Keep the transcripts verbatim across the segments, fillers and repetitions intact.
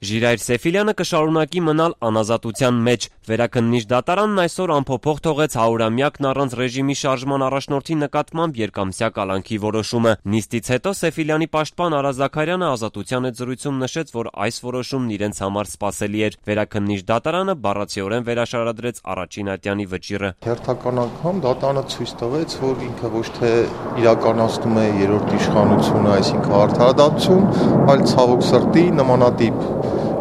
Ժիրայր Սեֆիլյանը կշարունակի մնալ անազատության մեջ։ Վերաքննիչ դատարանն այսօր անփոփոխ թողեց հարյուրամյակն առանց ռեժիմի շարժման առաջնորդի նկատմամբ երկամսյա կալանքի որոշումը։ Նիստից հետո Սեֆիլյանի պաշտպան Արա Զաքարյանը Ազատության հետ զրույցում նշեց, որ այս որոշումն իրենց համար սպասելի էր։ Վերաքննիչ դատարանը բառացիորեն վերաշարադրեց առաջին ատյանի վճիռը։ Հերթական անգամ դատարանը ցույց տվեց, որ ինքը ոչ թե իրականացնում է երրորդ իշխանությունը, այսինքն արդարադատություն, այլ ցավոք սրտի նմանատիպ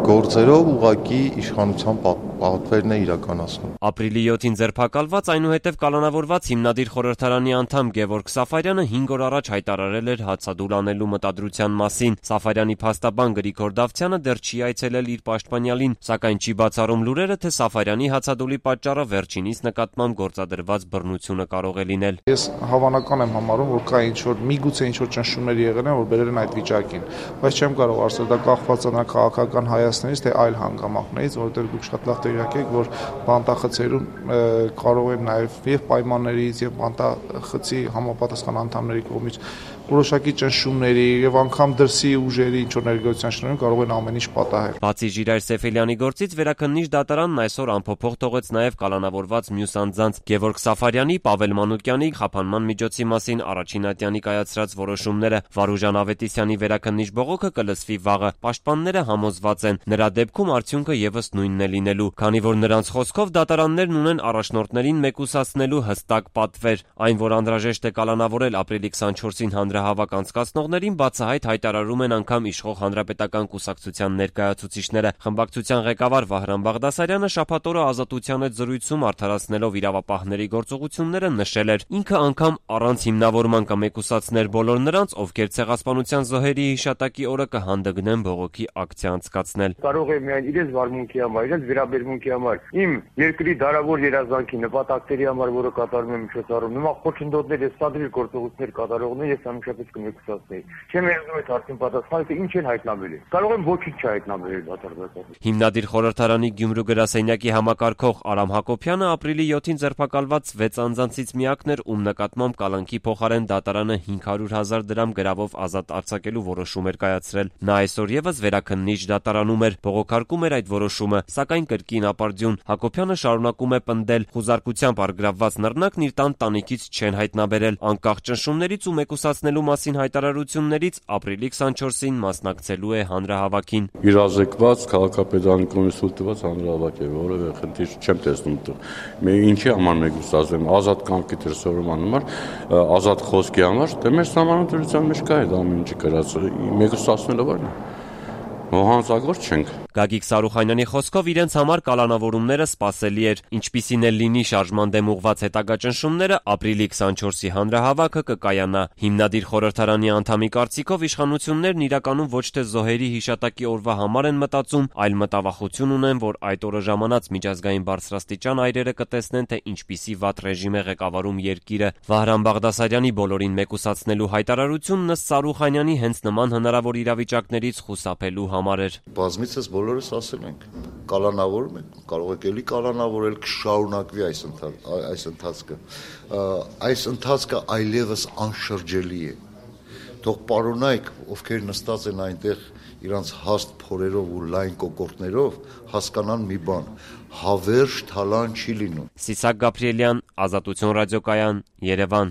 գործերով ուղղակի իշխանության պատվերն է իրականացնում։ Ապրիլի յոթին ձերբակալված, այնուհետև կալանավորված հիմնադիր խորհրդարանի անդամ Գևորգ Սաֆարյանը հինգ օր առաջ հայտարարել էր հացադուլ անելու մտադրության մասին։ Սաֆարյանի փաստաբան Գրիգոր Դավթյանը դեռ չի այցելել իր պաշտպանյալին, սակայն չի բացառում լուրերը, թե Սաֆարյանի հացադուլի պատճառը վերջինիս նկատմամբ գործադրված բռնությունը կարող է լինել։ Ես հավանական եմ համարում, որ կա ինչ-որ միգուցե ինչ-որ ճնշումներ եղել են, որ բերել են այդ վիճակին, բայց չեմ կարող ասել դա կախված է քաղաքական հայացքներից, թե այլ հանգամանքներից, որովհետև դուք շատ լավ տեղյակ եք, որ բանտախցերում կարող են նաև եւ պայմաններից եւ բանտախցի համապատասխան անդամների կողմից որոշակի ճնշումների եւ անգամ դրսի ուժերի ինչ-որ ներգործության շնորհիվ կարող են ամեն ինչ պատահել։ Բացի Ժիրայր Սեֆիլյանի գործից վերաքննիչ դատարանն այսօր անփոփոխ թողեց նաև կալանավորված մյուս անձանց Գևորգ Սաֆարյանի, Պավել Մանուկյանի խափանման միջոցի մասին առաջին ատյանի կայացրած որոշումները։ Վարուժան Ավետիսյանի վերաքննիչ բողոքը կլսվի վաղը։ Պաշտպանները համոզված են, նրա դեպքում արդյունքը եւս նույնն է լինելու, քանի որ նրանց խոսքով դատարաններն ունեն առաջնորդներին մեկուսացնելու հստակ պատվեր։ Այն, որ անհրաժեշտ է կալանավորել ապրիլի քսանչորսին հանրահավաք անցկացնողներին, բացահայտ հայտարարում են անգամ իշխող հանրապետական կուսակցության ներկայացուցիչները։ Խմբակցության ղեկավար Վահրամ Բաղդասարյանը շաբաթ օրը Ազատության հետ զրույցում արդարացնելով իրավապահների գործողությունները նշել էր. ինքը անգամ առանց հիմնավորման կմեկուսացներ բոլոր նրանց, ովքեր ցեղասպանության զոհերի հիշատակի օրը կհանդգնեն բողոքի ակցիա անցկացնել։ Կարող է միայն իրենց վարմունքի համար, իրենց վերաբերմունքի համար, իմ երկրի դարավոր երազանքի նպատակների համար, որը կատարում եմ միջոցառում, նման խոչընդոտներ եւ սադրիլ գործողություններ կատարողներ ես ամենաշատից կմեկուսացնեի։ Չեմ երազում այդ հարցին պատասխանը, թե ինչ են հայտնաբերել։ Կարող եմ ոչինչ չհայտնաբերել դատարանին։ Հիմնադիր խորհրդարանի Գյումրու գրասենյակի համակարգող Արամ Հակոբյանը ապրիլի յոթին ձերբակալված վեց անձանցից միակն էր, ում նկատմամբ կալանքի փոխարեն դատարանը հինգ հարյուր հազար դրամ գրավով ազատ արձակելու որոշում էր կայացրել։ Նա այսօր եւս վերաքննիչ դատարանում էր, բողոքարկում էր այդ որոշումը, սակայն կրկին ապարդյուն։ Հակոբյանը շարունակում է պնդել, խուզարկությամբ առգրավված նռնակն իր տան տանիքից չեն հայտնաբերել։ Անկախ ճնշումներից ու մեկուսացնելու մասին հայտարարություններից ապրիլի քսանչորսին մասնակցելու է հանրահավաքին։ Իրազեկված քաղաքապետարանի կողմից թույլտված հանրահավաք է, որևէ խնդիր չեմ տեսնում դու։ Մենք ինչի համար մեկուսացնում, ազատ կամքի դրսևորման համար, ազատ խոսքի համար, դե մեր սահմանադրության մեջ կա այդ ամեն ինչի գրած, մեկուսացնելը բան է։ Ողանցագործ չենք։ Գագիկ Սարուխանյանի խոսքով իրենց համար կալանավորումները սպասելի էր, ինչպիսին էլ լինի շարժման դեմ ուղղված հետագա ճնշումները, ապրիլի քսանչորսի հանրահավաքը կկայանա։ Հիմնադիր խորհրդարանի անդամի կարծիքով իշխանություններն իրականում ոչ թե զոհերի հիշատակի օրվա համար են մտածում, այլ մտավախություն ունեն, որ այդ օրը ժամանած միջազգային բարձրաստիճան այրերը կտեսնեն, թե ինչպիսի վատ ռեժիմ է ղեկավարում երկիրը։ Վահրամ Բաղդասարյանի բոլորին մեկուսացնելու հայտարարությունն ըստ Սարուխանյանի հենց նման հնարավոր իրավիճակներից խուսափելու համար էր։ Բազմիցս բոլորս ասել ենք, կալանավորում ենք, կարող եք էլի կալանավորել, կշարունակվի այս այս ընթացքը։ Այս ընթացքը այլևս անշրջելի է։ Թող պարոնայք, ովքեր նստած են այնտեղ իրանց հաստ փորերով ու լայն կոկորտներով, հասկանան մի բան, հավերժ թալան չի լինում։ Սիսակ Գաբրիելյան, Ազատություն ռադիոկայան, Երևան։